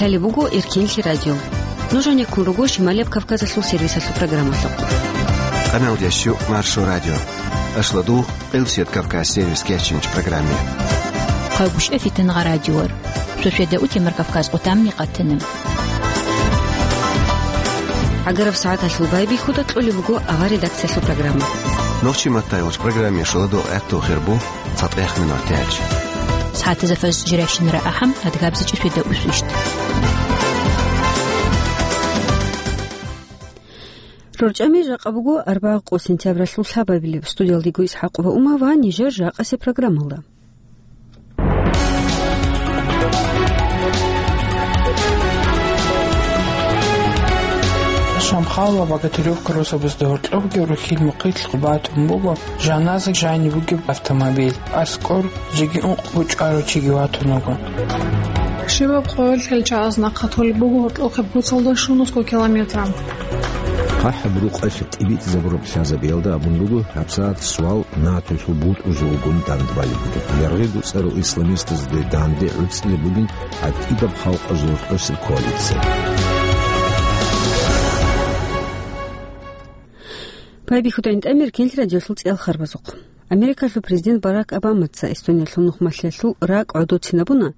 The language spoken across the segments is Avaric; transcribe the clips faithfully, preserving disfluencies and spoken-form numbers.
Лъалеб буго Эркенлъи радио. Нуж гьанеккун руго Шималияб Кавказалъул сервисалъул программалъухъ. Къаналдящу Маршо радио. Ашладу Къилсият Кавказ сервис кечинч программе. Къагушев Фитангъа радиор. Шошеда утемар Кавказ къутамни къатана. ГӀагараб сагӀаталъул байбихьуда кьолеб буго авар редакциялъул программа. Нохчи маттайгъуч программе шоладу гӀехту хирбу. ЦатӀехъ минуталъ. СагӀатазда фаз жирашин рагӀахъан адгабзичӀеб шведа усвищ. РорчӀами жакъа буго арбагъ къо сентябралъул лъабабилеб. Студиялдего Исхакъова Ума ва нижер жакъасе программалда. Шамхал ва Богатыревка росабазда гьоркьобги рухьил мухъилъ батун буго жаназа жаниб бугеб автомобиль. АскӀор жеги ункъго чӀварав чиги ватун вуго. Щибаб къоялъ гьел чагӀаз нахъа толеб буго гьоркьохъеб куцалда щунусго километра. ХъахӀаб рукъалъ тӀибитӀизабураб лъазабиялда абун буго гьабсагӀат свал НАТОялъул бутӀрузулгун дандбалеб бугеб. Яргъи дуцӀарал исламистазде данде гӀуцӀилеб бугин гӀатӀидаб халкъазул росаб коалиция. Байбихьуда гӀинтӀамир кенлъи радиолъул цӀел харбазухъ. Америкалъул президент Барак Обамаца Эстониялъул нухмалъиялъул ракӀ гӀодоцинабуна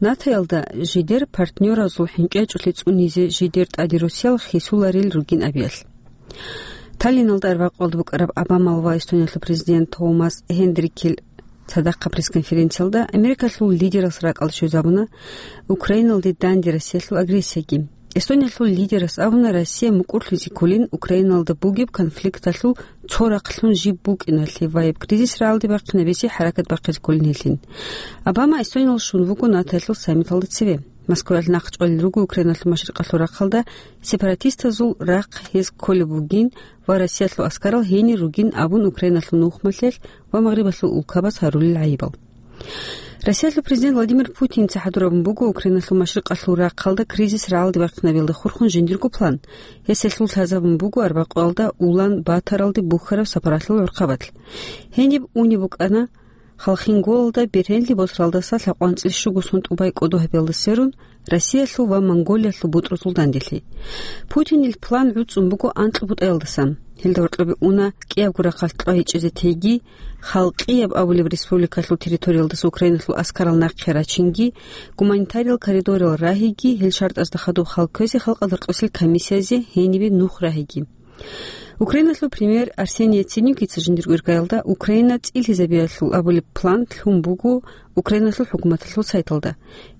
НАТОялда жидер партнеразул хӀинкӀи гьечӀолъи цӀунизе жидер тӀаде Русиял хисуларел ругин абиялъ. Таллиналда арбякъалда букӀараб Обамал ва Эстониялъул президент Томас Хендрикил цадахъа пресс-конференциялда Америкалъул лидерас ракӀалда щвезабуна Украиналде данде Россиялъул агрессияги. Эстониялъул лидерас абуна, Россия мукӀурлъизе кколин Украиналда бугеб конфликталъул цо рахълъун жиб букӀиналъе ва гьеб кризис рагӀалде бахъинабизе хӀаракат бахъизе кколин гьелъин. Обама Эстониялда щун вуго НАТОялъул саммиталда цеве. Москваялъ нахъчӀвалел руго Украиналъул машрикъалъул рахъалда сепаратистазул рахъ гьез кколеб бугин ва Россиялъул аскарал гьенир ругин абун Украиналъул нухмалъиялъ ва Магърибалъул улкабаз гьарулел гӀайибал. Россиялъул президент Владимир Путинца хӀадур абун буго Украиналъул машрикъалъул рахъалда кризис рагӀалде бахъинабиялда хурхун жиндирго план. Гьес гьелъул лъазабун буго арбякъуялда Улан-Баторалде бухьараб сапаралъул гӀурхъабалъ. Гьениб унеб букӀана Халхинголалда бергьенлъи босаралдаса лъакъванцӀил щуго сон тӀубай кӀодо гьабиялда сверун, Россиялъул ва Монголиялъул бутӀрузул данделъи. Путинил план гӀуцӀун буго анкьго бутӀаялдасан. Гьелда гьоркьобе уна кӀиябго рахъалъ кьвагьичӀезе теги, Халкъияб абулеб республикалъул территориялдаса Украиналъул аскарал нахъе рачинги, гуманитариял коридорал рагьиги, гьел шартӀазда хадуб хал кквезе халкъалда рокьосел комиссиязе гьенибе нух рагьиги. Украиналъул премьер Арсений Яценюкица жиндирго иргаялда Украина цӀилъизабиялъул абулеб план лъун буго Украиналъул хӀукуматалъул сайталда.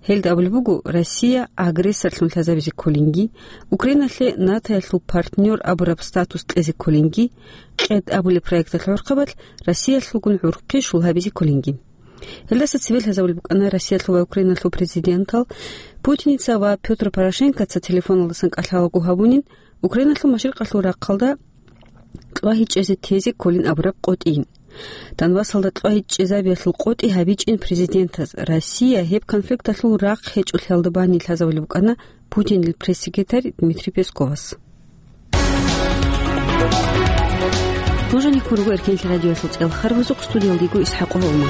Гьелда абулеб буго, Россия агрессорлъун лъазабизе кколинги, Украиналъе НАТОялъул партнер абураб статус кьезе кколинги, КьетӀ абулеб проекталъ гӀурхъабалъ Россиялъулгун гӀурхъи шул гьабизе кколинги. Гьелдаса цебе лъазабулеб букӀана Россиялъул ва Украиналъул президентал Путиница ва Пётр Порошенкоца телефоналдасан кӀалъалаго гьабунин, Украиналъул машрикъалъул рахъалда кьвагьичӀезе тезе кколин абураб къотӀийин. Донбассалда кьвагьичӀезабиялъул къотӀи гьабичӀин президентаз. Россия гьеб конфликталъул рахъ гьечӀолъиялда бани лъазабулеб букӀана Путинил пресс-секретарь Дмитрий Песковас. Нуж гьанеккун руго Эркенлъи радиоялъул цӀел харбазухъ, студиялда йиго Исхакъова Ума.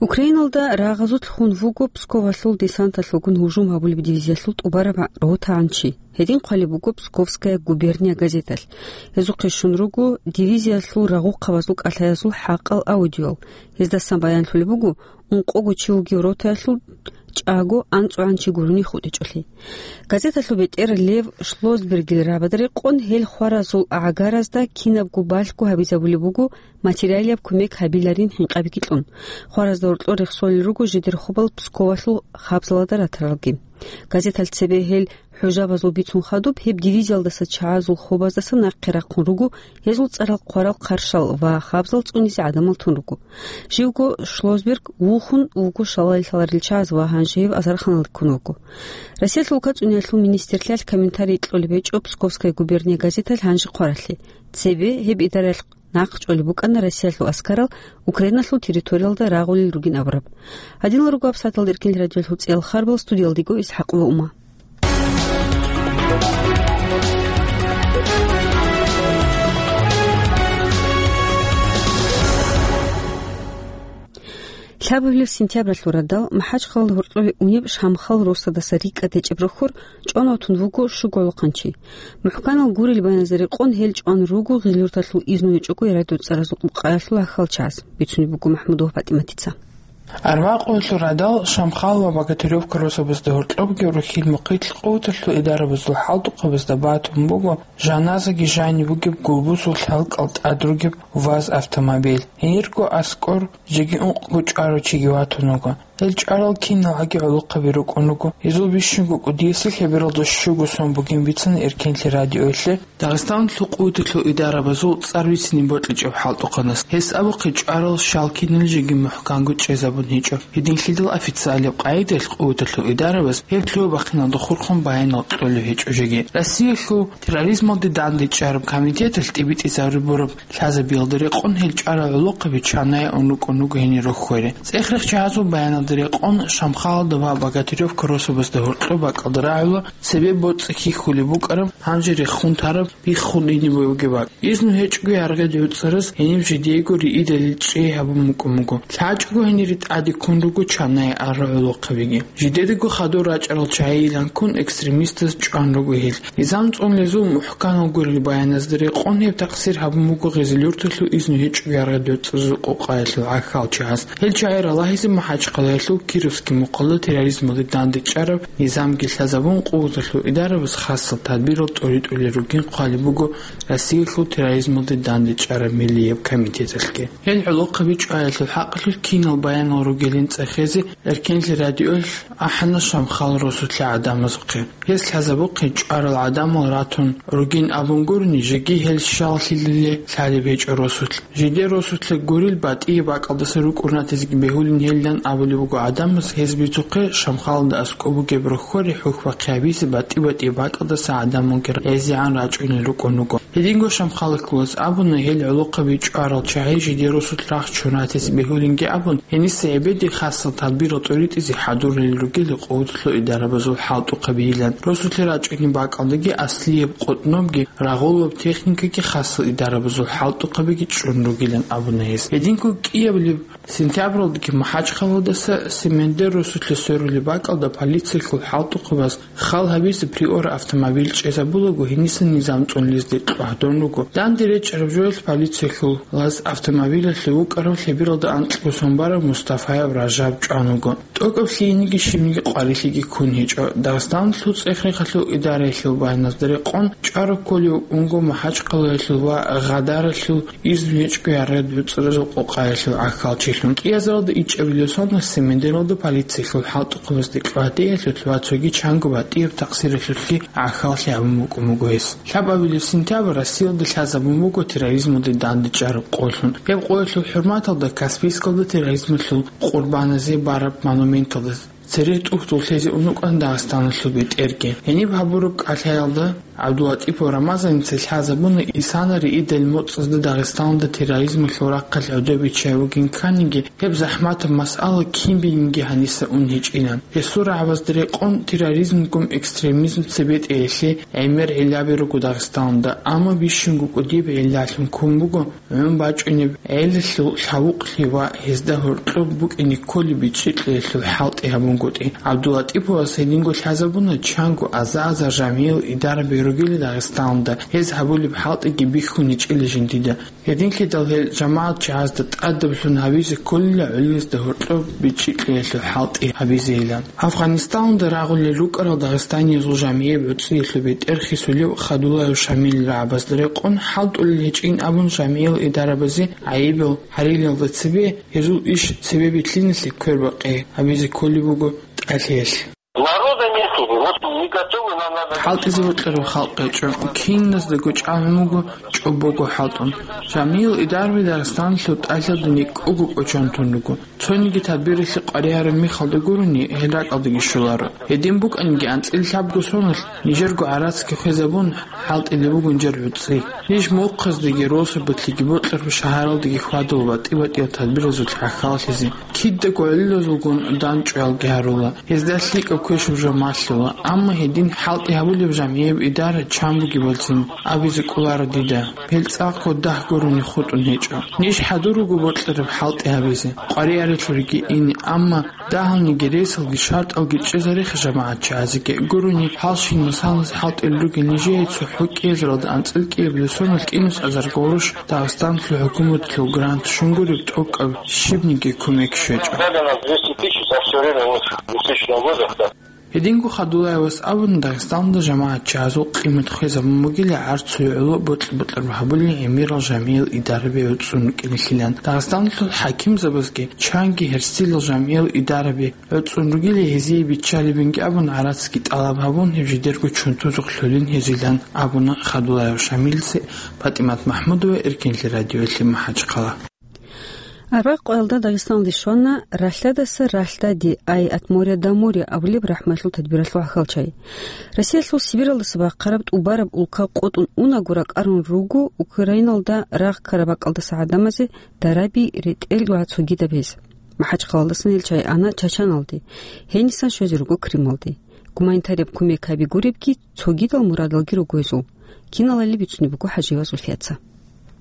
Украиналда рагъазулъ хун вуго Псковалъул десанталъулгун гьужум гьабулеб дивизиялъул тӀубараб ротагӀан чи. Гьедин хъвалеб буго «Псковская губерния» газеталъ. Гьезухъе щун руго дивизиялъул рагъухъабазул кӀалъаязул хӀакъал аудиоял. Гьездасан баянлъулеб буго, ункъого чи вугев ротаялъул чӀаго анцӀгӀан чи гурони хутӀичӀолъи. Газеталъул бетӀер Лев Шлосбергил рабада рекъон, гьел хваразул гӀагаразда кинабго балъго гьабизабулеб буго материалияб кумек гьабиларин хӀинкъабиги кьун. Хваразда гьоркьор рехсолел руго жидер хобал Псковалъул хабзалда ратаралги. Газеталъ цебе гьел хӀужабазул бицун хадуб, гьеб дивизиялдаса чагӀазул хобаздаса нахъе рахъун руго, гьезул цӀарал хъварал хъаршал ва хабзал цӀунизе гӀадамал тун руго. Живго Шлосберг вухун вуго шалалъ лъаларел чагӀаз ва гьанже гьев азарханалде ккун вуго. Россиялъул улкацӀуниялъул министрлъиялъ комментарий кьолеб гьечӀо «Псковская губерния» газеталъ гьанже хъваралъе. Цебе гьеб идаралъ нахъ чӀолеб букӀана Россиялъул аскарал Украиналъул территориялда рагъулел ругин абураб. Гьадинал руго гьабсагӀаталда Эркенлъи радиоялъул цӀел харбал, студиялда йиго Исхакъова Ума. Лъабабилеб сентябралъул радал МахӀачхъалалда гьоркьове унеб Шамхал росадаса рикӀкӀад гьечӀеб рохьор чӀван ватун вуго щуго гӀолохъанчи. МухӀканал гурел баяназда рекъон гьел чӀван руго гъилюрталъул изну гьечӀого ярадуцӀаразул къокъаялъул гӀахьалчагӀаз, бицунеб буго МахӀмудова ПатӀиматица. Арбакъоялъул радал Шамхал ва Богатыревка росабазда гьоркьобги рухьил мухъилъ къуваталъул идарабазул хӀалтӀухъабазда батун буго жаназаги жаниб бугеб гулбусул лъалкӀал тӀад ругеб ВАЗ автомобиль. Гьенирго аскӀор жеги ункъго чӀварав чиги ватун вуго. Гьел чӀварал киналги гӀолохъаби рукӀун руго. Гьезул бищунго кӀудиясе лъебералда щуго сон бугин бицана Эркенлъи радиоялъе. Дагъистаналъул къуваталъул идарабазул цӀар бицине бокьичӀеб хӀалтӀухъанас гьес абухъе чӀварал щал кинал жеги мухӀканго чӀезабун гьечӀо. Гьединлъидал официалияб къагӀидаялъ къуваталъул идарабаз гьеб лъугьа-бахъиналда хурхун баянал кьолеб гьечӀо жеги. Россиялъул терроризмалде дандечӀараб комитеталъ тӀибитӀизарулеб бураб лъазабиялда рекъон гьел чӀварал гӀолохъаби чанае ун рукӀун руго гьенир рохьоре. ЦӀех-рехчагӀазул баяналда рекъон Шамхалалда ва Богатыревка росабазда гьоркьоб бакӀалда рагӀула цебе боцӀи хьихьулеб букӀараб, гьанже рехун тараб, биххун ине бугеб бакӀ. Изну гьечӀого яргъи гӀуцӀараз гьениб жидеего риидалил чӀей гьабун букӀун буго. ЛъачӀого гьенире тӀаде ккун руго чанае арал гӀолохъабиги. Жидедаго хадур рачӀарал чагӀийилан ккун экстремистаз чӀван руго гьел. Низам цӀунулезул мухӀканал гурел баяназда рекъон гьеб такъсир гьабун буго Гъизил-Юрталъул изну гьечӀого яргъи гӀуцӀаразул къокъаялъул гӀахьалчагӀаз. Гьел чагӀи ралагьизе МахӀачхъалаялъул Кировский мухъалда терроризмалде дандечӀараб низамги лъазабун, къуваталъул идарабаз хасал тадбирал тӀуритӀулел ругин хъвалеб буго Россиялъул терроризмалде дандечӀараб миллияб комитеталъги. Гьел гӀолохъаби чӀваялъул хӀакъалъулъ кинал баянал ругилин цӀехезе Эркенлъи радиоялъ ахӀана Шамхал росулъе гӀадамазухъе. Гьес лъазабухъе чӀварал гӀадамал ратун ругин абун гурони, жеги гьел щаллъилалде лъалеб гьечӀо росулъ. Жидер росулъе гурел батӀияб бакӀалдаса рукӀун ратезеги бегьулин гьелилан абулеб буго гӀадамаз, гьез бицухъе Шамхалалда аскӀоб бугеб рохьоре хӀухьбахъи гьабизе батӀи-батӀияб бакӀалдаса гӀадамалги гӀезегӀан рачӀунел рукӀун руго. Гьединго Шамхалалъулаз абуна, гьел гӀолохъаби чӀварал чагӀи жидер росулъ рахчун ратезе бегьулинги абун, гьениса гӀебеде хасал тадбирал тӀуритӀизе хӀадурулел ругел къуваталъул идарабазул хӀалтӀухъабийилан. Росулъе рачӀунеб бакӀалдаги аслияб къотӀнобги, рагъулаб техникаги хасал идарабазул хӀалтӀухъабиги чӀун ругилан абуна гьес. Гьединго кӀиабилеб сентябралдаги МахӀачхъалаялдаса Семендер росулъе сверулеб бакӀалда полициялъул хӀалтӀухъабаз хал гьабизе Приора автомобиль чӀезабулаго, гьениса низам цӀунулезде кьвагьдун руго. Данде речӀараб жоялъ полициялъул лаз автомобилялъе вукӀарав лъебералда анкьго сон барав Мустафаев Ражаб чӀван вуго. ТӀокӀаб лъиениги щибниги къварилъиги ккун гьечӀо. Дагъистаналъул цӀех-рехалъул идараялъул баяназда рекъон, чӀвараб кколев унго МахӀачхъалаялъул ва Гъадаралъул изну гьечӀого яргъи гӀуцӀаразул къокъаялъул гӀахьалчилъун. КӀиазаралда ичӀабилеб соналъ Семендералда полициялъул хӀалтӀухъабазде кьвагьдеялъулъ ва цоги чанго батӀияб такъсиралъулъги гӀахьаллъи гьабун букӀун буго гьес. Лъабабилеб сентябрь Россиялда лъазабун буго терроризмалде дандечӀараб къоллъун. Гьеб къоялъул хӀурматалда Каспийскалда терроризмалъул къурбаназе бараб монументалда цере тӀухьдул лъезе ун рукӀана Дагъистаналъул бетӀерги. Гьениб гьабураб кӀалъаялда ГӀабдулатӀипов Рамазаница лъазабуна, исана риидал моцӀазда Дагъистаналда терроризмалъул рахъалъ гӀодобиччай вугин кканиги, гьеб захӀматаб масъала кин бигьинги гьаниса ун гьечӀилан. Гьесул рагӀабазда рекъон, терроризмгун экстремизм цебетӀеялъе гӀемер гӀиллаби руго Дагъистаналда, амма бищунго кӀудияб гӀиллалъун ккун буго гӀун бачӀунеб гӀелалъул лъавукълъи ва гьезда гьоркьоб букӀине кколеб бичӀчӀи кьеялъул хӀалтӀи гьабунгутӀи. ГӀабдулатӀиповас гьединго лъазабуна, чанго аза-азар жамгӀиял идарабиги ругила Дагъистаналда, гьез гьабулеб хӀалтӀиги бихьун гьечӀила жиндида. Гьединлъидал гьел жамагӀат чагӀазда тӀадаблъун гьабизе кколила гӀолилазда гьоркьоб бичӀчӀи кьеялъул хӀалтӀи гьабизейилан. Афгъанистаналда рагъулел рукӀарал дагъистаниязул жамгӀияб гӀуцӀиялъул бетӀер хисулев Хадулаев Шамилил рагӀабазда рекъон, хӀалтӀулел гьечӀин абун жамгӀиял идарабазе гӀайибал гьарилалда цебе гьезул иш цебе билълъиналъе квербакъи гьабизе кколеб буго тӀалъиялъ. Народа нету, вот не готовы, нам надо... ХӀалтӀизе бокьараб халкъ гьечӀо, киназдаго чӀалгӀун буго чӀобого хӀалтӀун. Жамгьиял идараби Дагъистаналъул тӀалъалда никӀого кӀочон тун руго. Цониги тадбиралъе къваригӀараб мехалда гурони, гьел ракӀалдаги щоларо. Гьедин букӀаниги, анцӀила лъабго соналъ нижерго гӀарацги хвезабун, хӀалтӀулеб буго нижер гӀуцӀи. Ниж мухъаздаги росабалъеги бокьараб шагьаралдаги хьвадула батӀи-батӀиял тадбиразулъ гӀахьаллъизе. Кидаго гӀолилазулгун данчӀваялги гьарула. Гьезда лъикӀаб квешаб жо малъула, амма гьедин хӀалтӀи гьабулеб жамгӀияб идара чан бугебалцин абизе кӀоларо дида. Гьел цӀакъго дагь гурони хутӀун гьечӀо. Ниж хӀадур руго бокьараб хӀалтӀи гьабизе. КъваригӀараб чуриги ине, амма дагьалниги ресалги шартӀалги чӀезареха жамагӀатчагӀазеги гурони, хӀалщинасанас хӀалтӀел ругел нижее цохӀо кӀиазаралда анцӀил кӀиабилеб соналъ кӀинусазар гъурущ Дагъистаналъул хӀукуматалъул грант щун гуреб тӀокӀаб щибниги кумек щвечӀо. Дали у нас двести тысяч за всё время вот двухтысячного года, да. Гьединго Хадулаевас абуна, Дагъистаналда жамагӀатчагӀазул къимат хвезабун бугила гӀарцуе гӀоло бокьа-бокьараб гьабулел гӀемерал жамигӀал идараби гӀуцӀун рукӀиналъилан. Дагъистаналъул хӀакимзабазги чанги гьерсилал жамигӀал идараби гӀуцӀун ругила гьезие биччалебинги абун, гӀарацги тӀалаб гьабун, гьеб жидерго чунтузухъ лъолин гьезилан абуна Хадулаев Шамилица. ПатӀимат МахӀмудова, Эркенлъи радиоялъе МахӀачхъала. Арбагъ къоялда Дагъистаналде щвана «Ралъадаса ралъдаде», «Ай от моря до моря» абулеб рахӀматлъул тадбиралъул гӀахьалчагӀи. Россиялъул Сибиралдаса бахъараб тӀубараб улка къотӀун унаго ракӀарун руго Украиналда рагъ ккараб бакӀалдаса гӀадамазе дараби, ретӀел ва цогидаб гьез. МахӀачхъалаялдасан гьел чагӀи ана Чачаналде, гьенисан щвезе руго Крымалде. Гуманитарияб кумек гьаби гуребги, цогидал мурадалги руго гьезул. Киналали бицунеб буго ХӀажиева Зульфияца.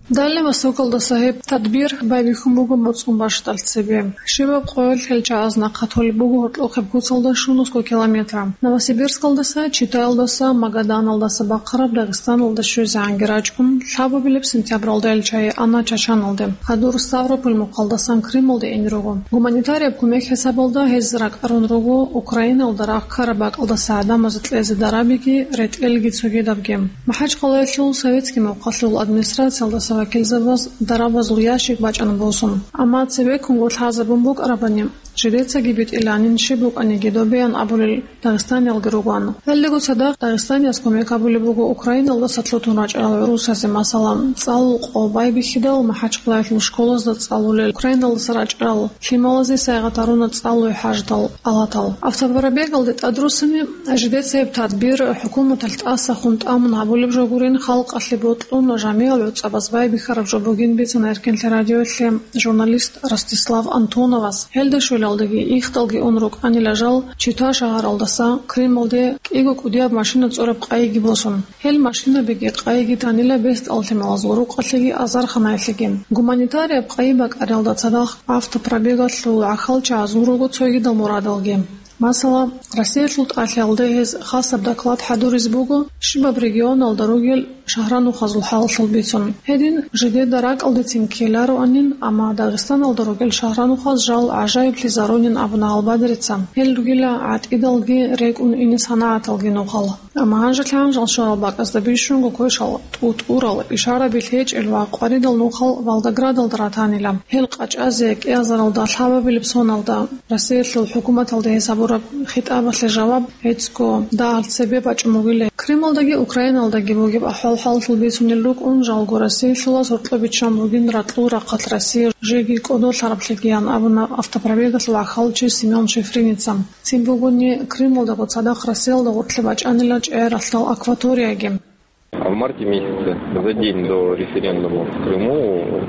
Дальний Востокалдаса гьеб тадбир байбихьун буго моцӀ-бащдал цебе. Щибаб къоялъ гьел чагӀаз нахъа толеб буго гьоркьохъеб куцалда щунусго километр. Новосибирскалдаса, Читаялдаса, Магаданалдаса бахъараб Дагъистаналда щвезегӀанги рачӀун, лъабабилеб сентябралда гьел чагӀи ана Чачаналде. Гьадур Ставрополь мухъалдасан Крымалде ин руго. Гуманитарияб кумек хӀисабалда гьез ракӀарун руго Украиналда рагъ ккараб бакӀалдаса гӀадамазе кьезе дарабиги, ретӀелги цогидабги. МахӀачхъалаялъул советский мухъалъул администрациялдаса вакилзабаз дарабазул ящик бачӀана босун. Амма цебеккунго лъазабун букӀарабани, жидецаги битӀиланин, щиб букӀаниги добеян абулел дагъистаниялги ругоан. Гьелдаго цадахъ Дагъистанияс кумек гьабулеб буго Украиналдаса лъутун рачӀарал гӀурусазе, масала, цӀалул къо байбихьидал, МахӀачхъалаялъул школазда цӀалулел, Украиналдаса рачӀарал лъималазе сайгъат гьаруна цӀалуе хӀаждал алатал. Автопробегалде тӀадруссани, жидеца гьеб тадбир хӀукуматалъ тӀасахун тӀамун гьабулеб жо гурин, халкъалъе бокьун, жамигӀал гӀуцӀабаз байбихьараб жо бугин бицана Эркенлъи радиоялъе журналист Ростислав Антоновас. Гьелда щвелалдаги ихдалги ун рукӀанила жал Чита шагьаралдаса Крымалде кӀиго кӀудияб машина цӀураб къайиги босун. Гьел машинабиги къайиги танила бесдал лъималазул рукъалъеги азарханаялъеги. Гуманитарияб къайи бакӀариялда цадахъ автопробегалъул гӀахьалчагӀаз гурого цогидал мурадалги. Масала, Россиялъул тӀалъиялда гьез хасаб доклад хӀадуризе буго щибаб регионалда ругел шагьранухъазул хӀалалъул бицун. Гьедин, жидеда ракӀалдецин ккелароанин, амма Дагъистаналда ругел шагьранухъаз жал гӀажаиблъизарунин абуна Албадрица. Гьел ругила гӀатӀидалги рекӀун ине санагӀаталги нухал. Амма гьанжелъ-гьанжал щварал бакӀазда бищунго квешал тӀутӀурал, ишараби лъечӀел ва къваридал нухал Волгоградалда ратанила. Гьел къачӀазе кӀиазаралда лъабабилеб соналда Россиялъул хӀукуматалда гьесабураб хитӀабалъе жаваб гьецӀго дагьал цебе бачӀун бугила. Крымалдаги Украиналдаги бугеб ахӀвал-хӀалалъул бицунел рукӀун, жалго Россиялъулаз гьоркьоб биччан бугин ракьул рахъалъ Россия жеги кӀодолъараблъигиян абуна автопробегалъул гӀахьалчи Семён Шифриница. Цин бугони, Крымалдаго цадахъ Россиялда гъоркье бачӀанила чӀегӀералъдал акваторияги. А в марте месяце, за день до референдума в Крыму,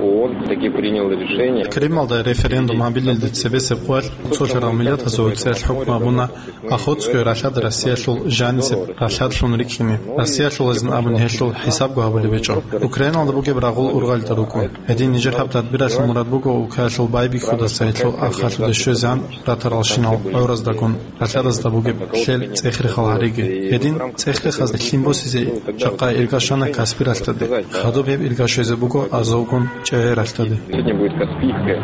ООН таки принял решение. Крымалда референдум гьабилелде цебесеб къоялъ цолъарал миллатазул гӀуцӀиялъ хӀукму гьабуна Охотское ралъад Россиялъул жанисеб ралъадлъун рикӀкӀине. Россиялъулазин абун гьелъул хӀисабго гьабулеб гьечӀо. Украиналда бугеб рагъул ургъалда рукӀун. Гьедин нижер гьаб тадбиралъул мурад буго улкаялъул байбихьудаса гьелъул ахалъуде щвезегӀан ратаралщинал гӀураздагун ралъадазда бугеб лъел цӀех-рехал гьариги. Гьедин цӀех-рехазда лъим босизе жакъа ирга щвана Каспий ралъдаде. Хадуб гьеб ирга щвезе буго Азовгун ЧӀегӀер ралъдаде. Сегодня будет Каспийское.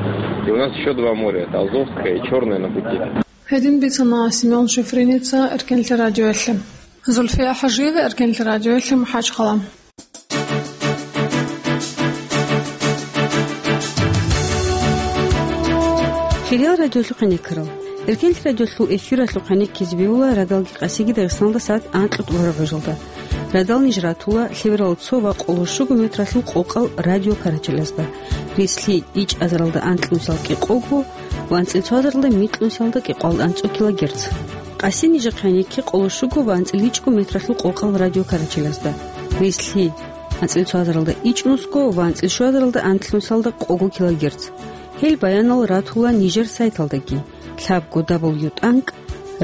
И у нас ещё два моря. Это Азовское и Чёрное на пути. Гьедин бицана Семён Шифриница Эркенлъи радиоялъе. Зульфия ХӀажиева, Эркенлъи радиоялъе, МахӀачхъала. Хириял радиолъухъ гӀенеккарал. Эркенлъи радиолъул эфиралъухъ гӀенеккизе бегьула радалги къасиги Дагъистаналда сагӀат анкьго тӀубараб гӀужалда. Радал ниж ратула лъеберал цо ва къоло щуго метралъул къокъал радио карачелазда. Рислъи ичӀазаралда анкьнусал кӀикъого ва анцӀил цоазаралда микьнусалда кӀикъоялда анцӀго килогерц. Къаси нижехъе гӀенекке къоло щуго ва анцӀил ичӀго метралъул къокъал радио карачелазда. Рислъи анцӀил цоазаралда ичӀнусго ва анцӀил щуазаралда анкьнусалда къого килогерц. Гьел баянал ратула нижер сайталдаги, лъабго дабл ю тӀанкӀ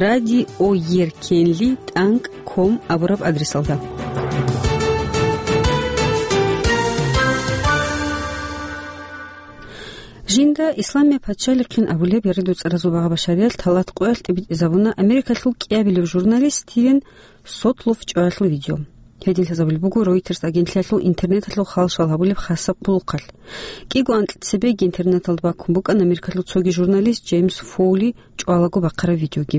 радио еркенлъи тӀанкӀ ком абураб адресалда. Жинда Исламия пачалихъин абулеб яргъи-дуцӀаразул багъа-башариялъ талат къоялъ тӀибитӀизабуна Америкалъул кӀиабилев журналист Стивен Сотлов чӀваялъул видео. Гьедин лъазабулеб буго Reuters агентлъиялъул интернеталъул халшал гьабулеб хасаб хъулухъалъ. КӀиго анкьцебеги интернеталда баккун букӀана Америкалъул цоги журналист Джеймс Фоули чӀвалаго бахъараб видеоги.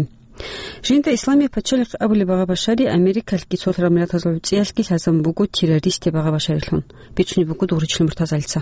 Жинда Исламия пачалихъ абулеб багъа-башари Америкалъги цолъарал миллатазул гӀуцӀиялъги лъазабун буго террористи багъа-башарилъун, бицунеб буго Дугъричилан Муртазалица.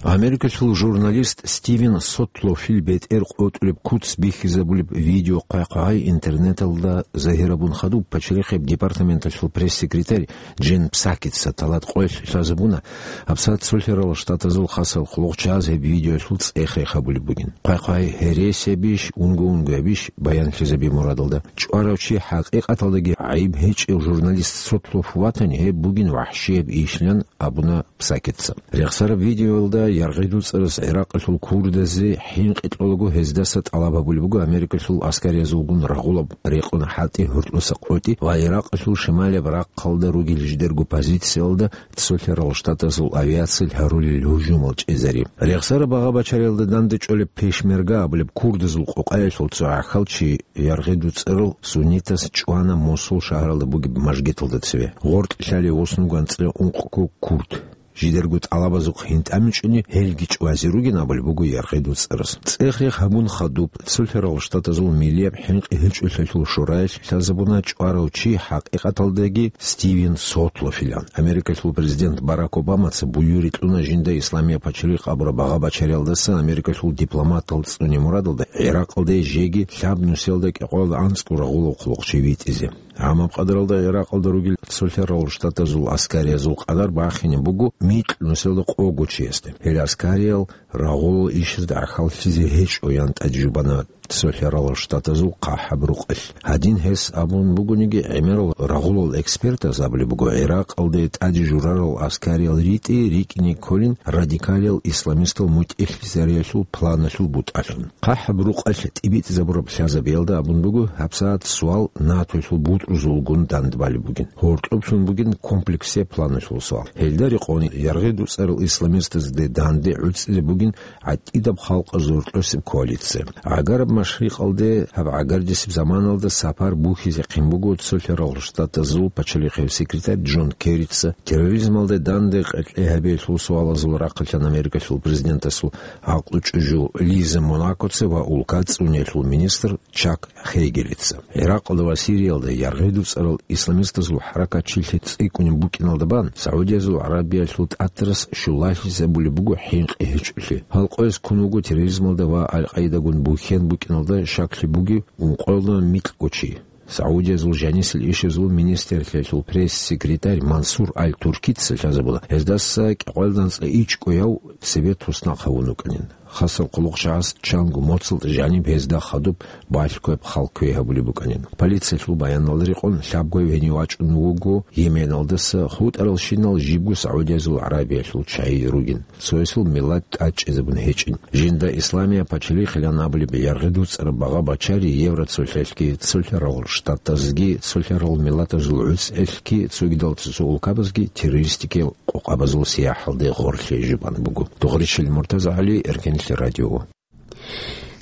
Америкалъул журналист Стивен Сотлофил бетӀер къотӀулеб куц бихьизабулеб видео хъвай-хъвай интернеталда загьирабун хадуб пачалихъеб департаменталъул пресс-секретарь Джен Псакица талат къоялъ лъазабуна, гьабсагӀат цолъарал штатазул хасал хъулухъчагӀаз гьеб видеоялъул цӀех-рех гьабулеб бугин. Хъвай-хъвай гьересиябищ, унго-унгоябищ баянлъизаби мурадалда, чӀварав чи хӀакъикъаталдаги гӀайиб гьечӀев журналист Сотлоф ватани, гьеб бугин вахӀщияб ишилан абуна Псакица. Рехсараб видеоялда яргъи-дуцӀарас ГӀиракъалъул курдазе хӀинкъи кьолаго гьездаса тӀалаб гьабулеб буго Америкалъул аскариязулгун рагъулаб рекъон хӀалтӀи гьоркьоса къотӀи ва Иракъалъул шималияб рахъалда ругел жидерго позициялда цолъарал штатазул авиациял гьарулел гьужумал чӀезари. Рехсараб багъа-бачариялда данде чӀолеб Пешмерга абулеб курдазул къокъаялъул цо гӀахьалчи яргъи-дуцӀарал суннитас чӀвана Мосул шагьаралда бугеб мажгиталда цеве. Гъоркьлъали восун гванцӀила ункъго курд. Жидерго тӀалабазухъ гьинтӀамичӀони гьелги чӀвазе ругин абулеб буго яргъи-дуцӀарас. ЦӀех-рех гьабун хадуб, цолъарал штатазул миллияб хӀинкъи гьечӀолъиялъул шораялъ лъазабуна чӀварав чи хӀакъикъаталдаги Стивен Сотлофилан. Америкалъул президент Барак Обамаца буюрикь кьуна жинда Исламия пачалихъ абураб багъа-бачариялдаса Америкалъул дипломатал цӀуне мурадалда ГӀиракъалде жеги лъаб нусиялда кӀикъоялда анцӀго рагъулав хъулухъчи витӀизе. Гьаниб къадаралда ГӀиракъалда ругел цолъарал штатазул аскариязул къадар бахине буго микь нусиялда къого чиясде. Гьел аскариял рагъулал ишазда гӀахьаллъизе гьечӀо, ян тӀаде жубана цолъарал штатазул ХъахӀаб рукъалъ. Гьадин гьес абун бугониги, гӀемерал рагъулал экспертаз абулеб буго, ГӀиракъалде тӀаде журарал аскариял ритӀи рикӀкӀине кколин радикалиял исламистал мутӀигӀлъизариялъул планалъул бутӀалъун. ХъахӀаб рукъалъ тӀибитӀизабураб лъазабиялда абун буго, гьабсагӀат суал НАТОялъул бутӀрузулгун дандбалеб бугин. Гьоркьоб лъун бугин комплексияб планалъул суал. Гьелда рекъон яргъи-дуцӀарал исламистазде данде гӀуцӀизе бугин гӀатӀидаб халкъазул гьоркьосеб коалиция. ГӀагараб машрикъалде гьаб гӀагардисеб заманалда сапар бухьизехъин буго цолъарал штатазул пачалихъев секретарь Джон Керрица, терроризмалде данде къеркьей гьабиялъул суалазул рахъалъан Америкалъул президентасул гӀакълу чӀужу Лиза Монакоца ва улка цӀуниялъул министр Чак Хейгелица. ГӀиракъалда ва Сириялда яргъи-дуцӀарал исламистазул хӀаракат чилъи цӀикӀкӀунеб букӀиналда бан, СагӀудиязул ГӀарабиялъул тӀатарас щулалъизабулеб буго хӀинкъи гьечӀолъи. Гьал къояз ккун вуго терроризмалда ва Аль-Къаидагун бухьен букӀиналда щаклъи бугев ункъоялда микьго чи. СагӀудиязул жанисел ишазул министрлъиялъул пресс-секретарь Мансур Аль-Туркица лъазабуна, гьездаса кӀикъоялда анцӀила ичӀго яв цебе туснахъ гьавун вукӀанин. Хасал хъулухъчагӀаз чанго моцӀалда жаниб гьезда хадуб балъгояб хал кквей гьабулеб букӀанин. Полициялъул баяналда рекъон, лъабгояв гьенив вачӀун вуго Йеменалдаса, хутӀаралщинал жибго СагӀудиязул ГӀарабиялъул чагӀи ругин. Цоясул миллат тӀадчӀезабун гьечӀин. Жинда Исламия пачалихъилан абулеб яргъи-дуцӀараб багъа-бачари Евроцолъалъги, цолъарал штатазги, цолъарал миллатазул гӀуцӀелъги, цогидал цо-цо улкабазги террористикиял къокъабазул сияхӀалде гъорлъе жубан буго. Дугъричил Муртазагьали, Эркенлъи радио.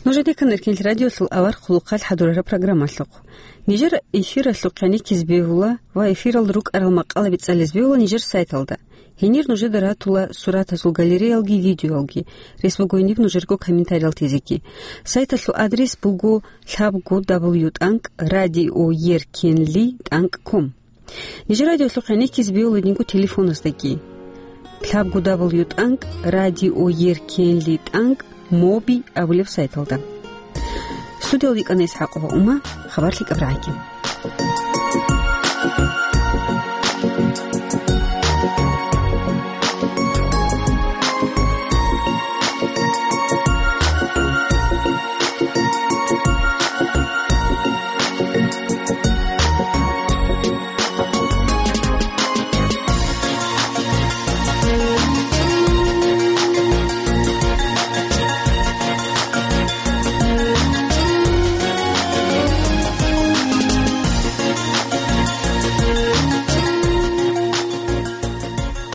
Нужеде ккан Эркенлъи радиолъул авар хъулухъалъ хӀадурараб программалъухъ. Нижер эфиралъухъ гӀенеккизе бегьула ва эфиралда рукӀарал макъалаби цӀализе бегьула нижер сайталда. Гьенир нужеда ратула суратазул галереялги видеоялги. Рес буго гьениб нужерго комментариял тезеги. Сайталъул адрес буго лъабго дабл ю тӀанкӀ радио еркенли тӀанкӀ ком. Нижер радиолъухъ гӀенеккизе бегьула динго телефоназдаги. Лъабго дабл ю тӀанкӀ радио еркенли тӀанкӀ моби абулеб сайталда. Студиялда йикӀана ИсхӀакъова Ума, хабар лъикӀаб рагӀаги.